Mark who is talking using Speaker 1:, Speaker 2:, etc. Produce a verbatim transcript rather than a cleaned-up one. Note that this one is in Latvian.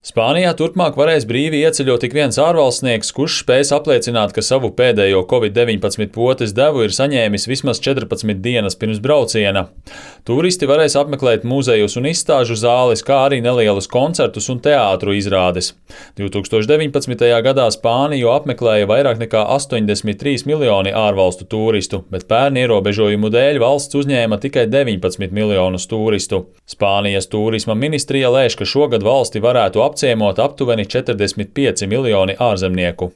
Speaker 1: Spānijā turpmāk varēs brīvi ieceļot ik viens ārvalstnieks, kurš spēs apliecināt, ka savu pēdējo covid deviņpadsmit potes devu ir saņēmis vismaz četrpadsmit dienas pirms brauciena. Turisti varēs apmeklēt muzejus un izstāžu zāles, kā arī nelielus koncertus un teātru izrādes. divtūkstoš deviņpadsmitajā gadā Spāniju apmeklēja vairāk nekā astoņdesmit trīs miljoni ārvalstu turistu, bet pērn ierobežojumu dēļ valsts uzņēma tikai deviņpadsmit miljonus turistu. Spānijas turisma ministrija lēš, ka šogad valsti varētu apciemot aptuveni četrdesmit pieci miljoni ārzemnieku.